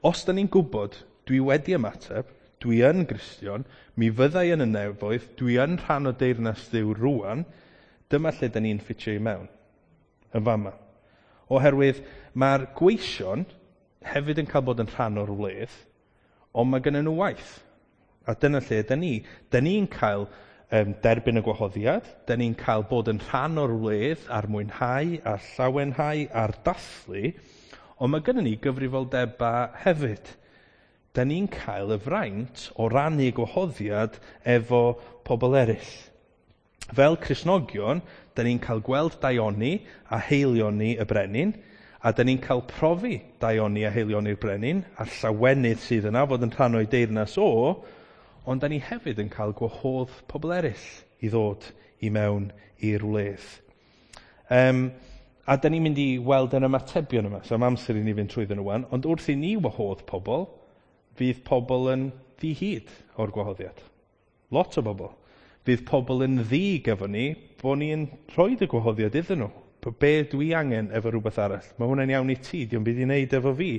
Os da ni'n gwybod, dwi wedi ymateb, dwi yn Gristion, mi fyddai yn y nefoedd, dwi yn rhan o deyrnas Dduw rŵan, dyma lle da ni'n ffitio i mewn, yn fama. Oherwydd mae'r gweision hefyd yn cael bod yn rhan o'r wledd, ond mae gennyn nhw waith. A dyna lle da ni. Da ni'n cael um, derbyn y gwahoddiad, da ni'n cael bod yn rhan o'r wledd a'r mwynhau a'r llawenhau a'r dathlu, ond mae gennyn ni gyfrifoldebau hefyd. Da ni'n cael y fraint o rannu gwahoddiad efo pobl eraill. Fel Cristnogion, da ni'n cael gweld daioni a heilioni y brenin, a da ni'n cael profi daioni a heilioni'r brenin, a'r llawenydd sydd yna fod yn rhan o'i deyrnas o, ond da ni hefyd yn cael gwahodd pobl eraill i ddod i mewn i'r wledd. Um, a da ni'n mynd i weld yn ymatebion yma, so am amser i ni fynd trwyddyn nhw wan, ond wrth i ni wahodd pobl, fydd pobl yn ddi-hid o'r gwahoddiad. Lot o bobl. Fydd pobl yn ddig efo ni, bod ni'n rhoi y gwahoddiad iddyn nhw. Be dwi angen efo rhywbeth arall? Mae hwnna'n iawn i ti, dio'm byd i wneud efo fi.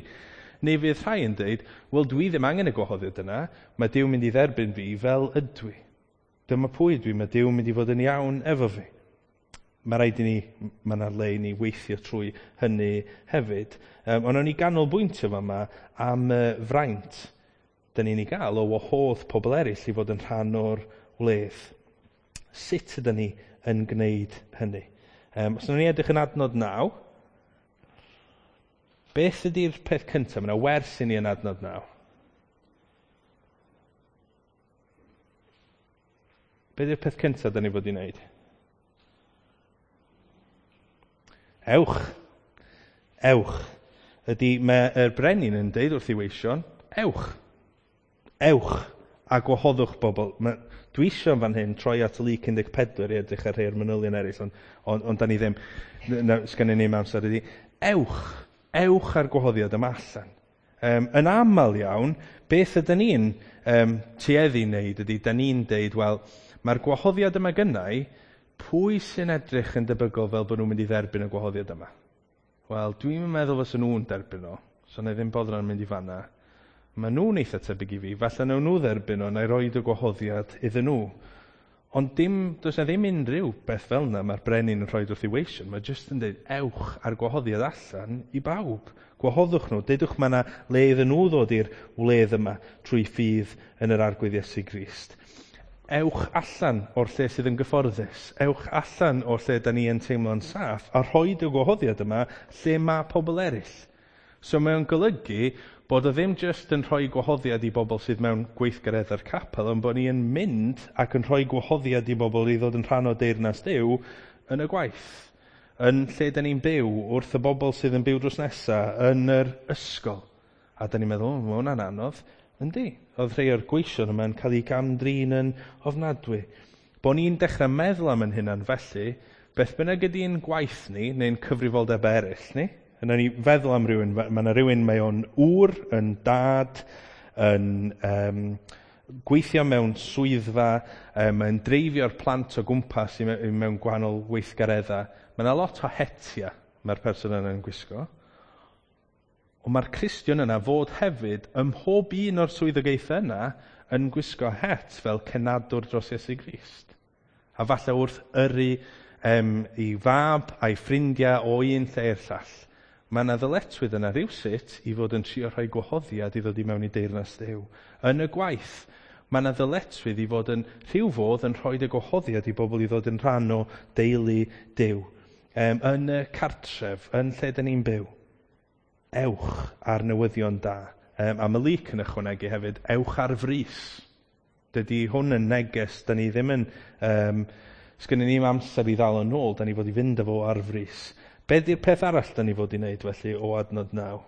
Neu fydd rhai yn dweud, wel dwi ddim angen y gwahoddiad yna, mae Duw mynd i dderbyn fi fel ydw i. Dyma pwy dwi, mae Duw mynd i fod yn iawn efo fi. Mae rhaid i ni, mae yna le i ni weithio trwy hynny hefyd. Um, ond o'n i ganolbwyntio fama am y fraint dyn ni'n ei gael o wahodd pobl eraill i fod yn rhan o'r wledd. Sut ydyn ni yn gwneud hynny? Um, os ni edrych yn adnod naw, beth ydy'r peth cyntaf? Mae yna wers i ni yn adnod naw. Be ydy'r peth cyntaf dyn ni fod i wneud? Ewch. Ewch. Ydy, mae'r brenin yn deud wrth ei weision, ewch. Ewch a gwahoddwch bobl. Mae, dwi eisiau fan hyn troi at Luc un deg pedwar i edrych ar rhai o'r manylion eraill, ond, ond, ond da ni ddim, na, sgennyn ni'm amser ydy. Ewch. Ewch ar gwahoddiad yma allan. Um, yn aml iawn, beth ydyn ni'n um, tueddu wneud ydy, da ni'n deud, wel, mae'r gwahoddiad yma gynnau, pwy sy'n edrych yn debygol fel bod nhw'n mynd i dderbyn y gwahoddiad yma? Wel, dwi'n meddwl fysa nhw'n derbyn o, so na i ddim boddran mynd i fanna. Mae nhw'n eitha tebyg i fi, falle nawn nhw dderbyn o, na i roed y gwahoddiad iddyn nhw. Ond dim, does na ddim unrhyw beth fel yna mae'r brenin yn rhoi wrth ei weision. Mae jyst yn dweud, ewch ar gwahoddiad allan i bawb. Gwahoddwch nhw, deudwch mae yna le iddyn nhw ddod i'r wledd yma trwy ffydd yn yr Arglwydd Iesu Grist. Ewch allan o'r lle sydd yn gyfforddus. Ewch allan o'r lle da ni yn teimlo'n saff a rhoi y gwahoddiad yma lle mae pobl eraill. So mae o'n golygu bod o ddim jyst yn rhoi gwahoddiad i bobl sydd mewn gweithgareddau'r capel, ond bod ni yn mynd ac yn rhoi gwahoddiad i bobl i ddod yn rhan o deyrnas Duw yn y gwaith, yn lle da ni'n byw, wrth y bobl sydd yn byw drws nesaf, yn yr ysgol. A da ni'n meddwl, o, mae hwnna'n anodd. Yndi, oedd rhai o'r gweision yma'n cael eu gamdrin yn ofnadwy. Bo ni'n dechrau meddwl am yn hunan felly, beth bynnag ydy'n gwaith ni, neu'n cyfrifoldeb eraill ni, yna ni feddwl am rhywun, mae yna rhywun mae o'n ŵr, yn dad, yn um, gweithio mewn swyddfa, um, mae'n dreifio'r plant o gwmpas i mewn gwahanol weithgareddau. Mae yna lot o hetia mae'r person yna'n gwisgo. Ond mae'r Cristion yna fod hefyd ym mhob un o'r swyddogaethau yna yn gwisgo het fel cenadwr dros Iesu Grist. A falle wrth yrru um, i fab a'i ffrindiau o un lle i'r llall. Mae yna ddyletswydd yna rhywsut i fod yn trio rhoi gwahoddiad i ddod i mewn i deyrnas Duw. Yn y gwaith, mae yna ddyletswydd i fod yn rhyw fodd yn rhoi y gwahoddiad i bobl i ddod yn rhan o deulu Duw. Um, yn y cartref, yn lle dyn ni'n byw. Ewch ar newyddion da. Um, a mae Luc yn ychwanegu hefyd, ewch ar frys. Dydy hwn yn neges, da ni ddim yn, um, sgynnon ni'm amser i ddal yn ôl, da ni fod i fynd efo ar frys. Be di'r peth arall da ni fod i wneud felly o adnod naw?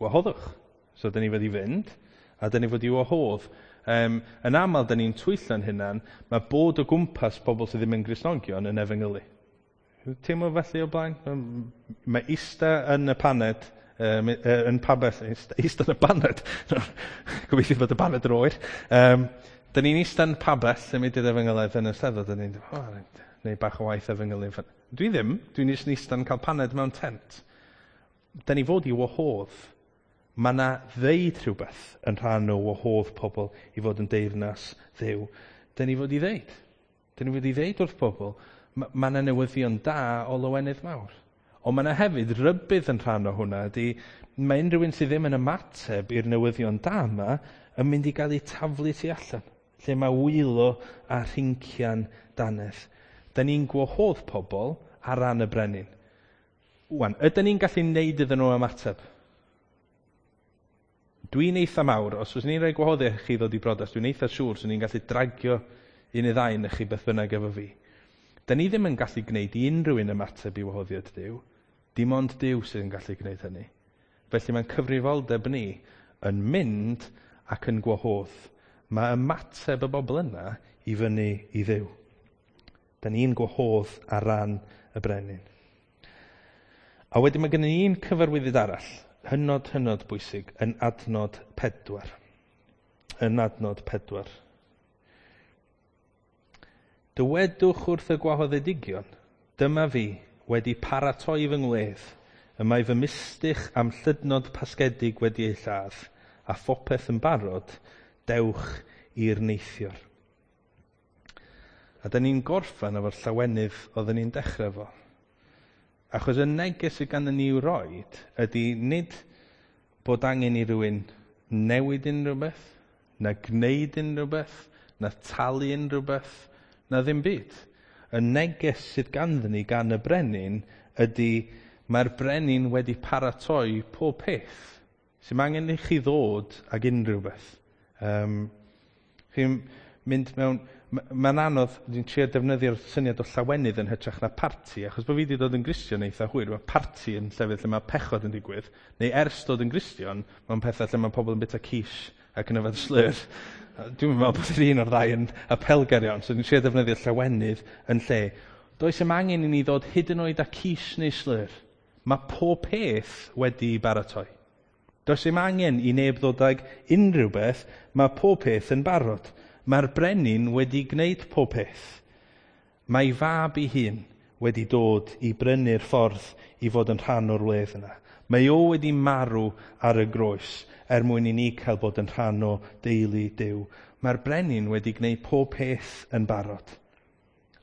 Gwahoddwch. So da ni fod i fynd, a da ni fod i wahodd. Um, yn aml, da ni'n twyllo'n hunan, mae bod o gwmpas pobl sydd ddim yn Gristnogion yn efengylu. Teimlo felly o blaen? Mae ista yn y paned, um, yn pabell, ista, ista yn y paned, gobeithio bod y paned yn oer. Um, da ni'n ista yn pabell yn mynd i'r efengylaidd yn y Steddfod, da ni'n oh, neu bach o waith efengylu. Dwi ddim, dwi'n jyst yn ista'n cael paned mewn tent. Da ni fod i wahodd. Mae yna ddeud rhywbeth yn rhan o wahodd pobl i fod yn deyrnas Dduw. Da ni fod i ddeud. Da ni fod i ddeud wrth pobl, mae yna newyddion da o lawenydd mawr. Ond mae yna hefyd rybudd yn rhan o hwnna ydy, mae unrhyw un sydd ddim yn ymateb i'r newyddion da yma yn mynd i gael ei taflu tu allan, lle mae wylo a rhincian dannedd. Da ni'n gwahodd pobl ar ran y brenin. Wan, ydyn ni'n gallu neud iddyn nhw ymateb? Dwi'n eitha mawr, os oes ni'n rhoi gwahoddiad i chi ddod i brodas, dwi'n eitha siŵr swn i'n gallu dragio un neu ddau yn chi beth bynnag efo fi. Da ni ddim yn gallu gwneud i unrhyw un ymateb i wahoddiad Duw, dim ond Duw sydd yn gallu gwneud hynny. Felly mae'n cyfrifoldeb ni yn mynd ac yn gwahodd. Mae ymateb y bobl yna i fyny i Dduw. Da ni'n gwahodd ar ran y brenin. A wedyn mae gen i un cyfarwyddyd arall, hynod, hynod bwysig, yn adnod pedwar. Yn adnod pedwar. Dywedwch wrth y gwahoddedigion, dyma fi wedi paratoi fy ngwledd, Y mae fy mistych am llydnod pasgedig wedi ei lladd, a phopeth yn barod, dewch i'r neithiwr. A da ni'n gorffen efo'r llawenydd oedden ni'n dechrau fo. Achos y neges sydd ganddyn ni i'w roed ydy nid bod angen i rywun newid unrhyw beth, na gwneud unrhyw beth, na talu unrhyw beth, na ddim byd. Y neges sydd ganddyn ni gan y brenin ydy mae'r brenin wedi paratoi pob peth. Sy'n angen i chi ddod ag unrhyw beth. Um, chi'n mynd mewn... Mae'n anodd, dwi'n trio defnyddio'r syniad o llawenydd yn hytrach na parti, achos bod fi wedi dod yn Gristion eitha hwyr, mae parti yn llefydd lle mae pechod yn digwydd, neu ers dod yn Gristion, mae'n pethau lle mae pobl yn bita quiche ac yn yfed slur. Dwi'n meddwl bod yr un o'r ddau yn apelgar iawn, so dwi'n trio defnyddio llawenydd yn lle. Does dim angen i ni ddod hyd yn oed â quiche neu slur. Mae pob peth wedi baratoi. Does dim angen i neb ddod ag unrhyw beth, mae pob peth yn barod. Mae'r brenin wedi gwneud pob peth. Mae fab ei hun wedi dod i brynu'r ffordd i fod yn rhan o'r wledd yna. Mae o wedi marw ar y groes er mwyn i ni cael bod yn rhan o deulu Duw. Mae'r brenin wedi gwneud pob peth yn barod.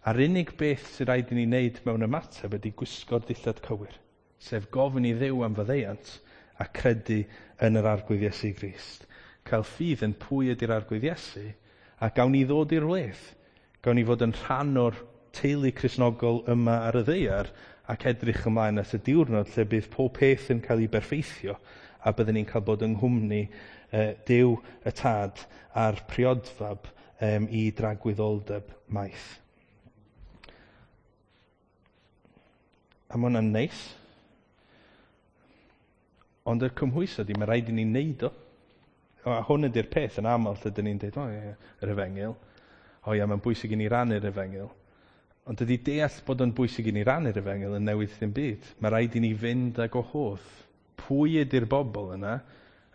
A'r unig beth sydd rhaid i ni wneud mewn ymateb ydy gwisgo'r dillad cywir, sef gofyn i Dduw am faddeuant a credu yn yr Arglwydd Iesu Grist. Cael ffydd yn pwy ydy'r Arglwydd Iesu, a gawn ni ddod i'r wledd. Gawn ni fod yn rhan o'r teulu Cristnogol yma ar y ddaear ac edrych ymlaen at y diwrnod lle bydd pob peth yn cael ei berffeithio a byddwn ni'n cael bod yng nghwmni eh, Duw y Tad a'r priodfab um, i dragwyddoldeb maith. A mae hwnna'n neis. Ond y cymhwyso di, mae rhaid i ni wneud o. A hwn ydy'r peth yn aml lle dyn ni'n dweud, o ie, yr efengyl. O ie, mae'n bwysig i ni rannu'r efengyl. Ond dydy deall bod o'n bwysig i ni rannu'r efengyl yn newid ddim byd. Mae rhaid i ni fynd ag o hodd. Pwy ydy'r bobl yna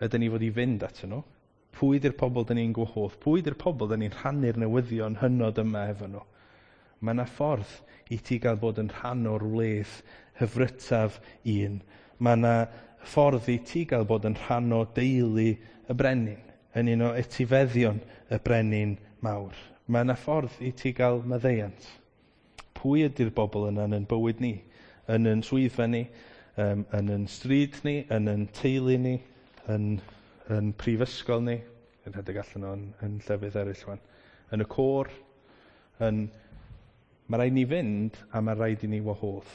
ydyn ni fod i fynd atyn nhw? Pwy ydy'r pobl dyn ni'n gwahodd? Pwy ydy'r pobl dyn ni'n rhannu'r newyddion hynod yma efo nhw? Mae yna ffordd i ti gael bod yn rhan o'r wledd hyfrytaf un. Mae yna ffordd i ti gael bod yn rhan o deulu y brenin, yn un o etifeddion y brenin mawr. Mae yna ffordd i ti gael maddeuant. Pwy ydy'r bobl yna yn bywyd ni? Yn yn swyddfa ni, um, yn yn stryd ni, yn yn teulu ni, yn, yn prifysgol ni, yn rhedeg allan o'n yn llefydd eraill wan, yn y côr, yn... Mae rhaid ni fynd a mae rhaid i ni wahodd.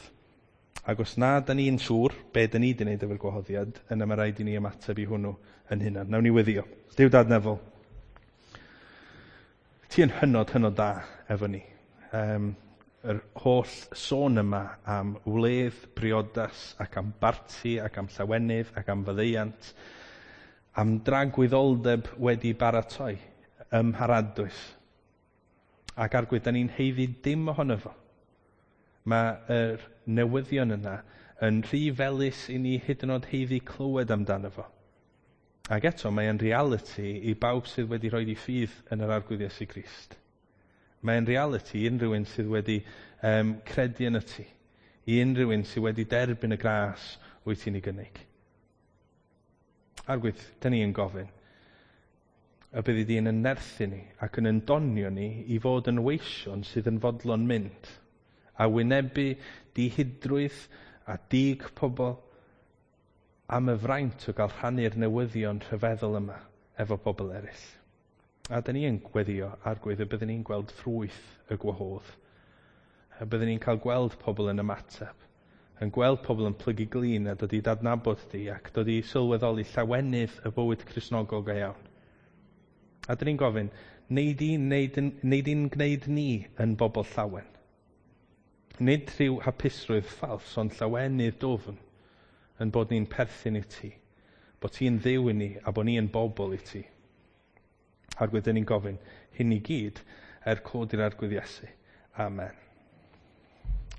Ac os na da ni'n siŵr be da ni wedi wneud efo'r gwahoddiad, yna mae rhaid i ni ymateb i hwnnw yn hunan. Nawn ni weddio. Duw Dad Nefol, ti yn hynod, hynod da efo ni. Um, yr holl sôn yma am wledd, briodas, ac am barti, ac am llawenydd, ac am faddeuant, am dragwyddoldeb wedi baratoi ym mharadwys. Ac Arglwydd, da ni'n haeddu dim ohono fo. Mae'r newyddion yna yn rhy felys i ni hyd yn oed haeddu clywed amdano fo. Ac eto, mae'n reality i bawb sydd wedi rhoi ei ffydd yn yr Arglwydd Iesu Grist. Mae'n reality i unrhyw un sydd wedi um, credu yn y ti. I unrhyw un sydd wedi derbyn y gras wyt ti'n ei gynnig. Arglwydd, da ni yn gofyn y byddi di yn yn nerthu ni ac yn yndonio ni i fod yn weision sydd yn fodlon mynd a wynebu dihidrwydd a dig pobl am y fraint o gael rhannu'r newyddion rhyfeddol yma efo pobl eraill. A da ni yn gweddio Arglwydd y byddwn ni'n gweld ffrwyth y gwahodd. Y byddwn ni'n cael gweld pobl yn ymateb, yn gweld pobl yn plygu glin a dod i dadnabod di ac dod i sylweddoli llawenydd y bywyd Cristnogol go iawn. A da ni'n gofyn, nei di'n nei di'n gwneud ni yn bobl llawen? Nid rhyw hapusrwydd ffals, ond llawenydd dwfn yn bod ni'n perthyn i ti, bod ti'n Dduw i ni a bod ni yn bobl i ti. Arglwydd, dyn ni'n gofyn hyn i gyd er cod i'r Arglwydd Iesu. Amen.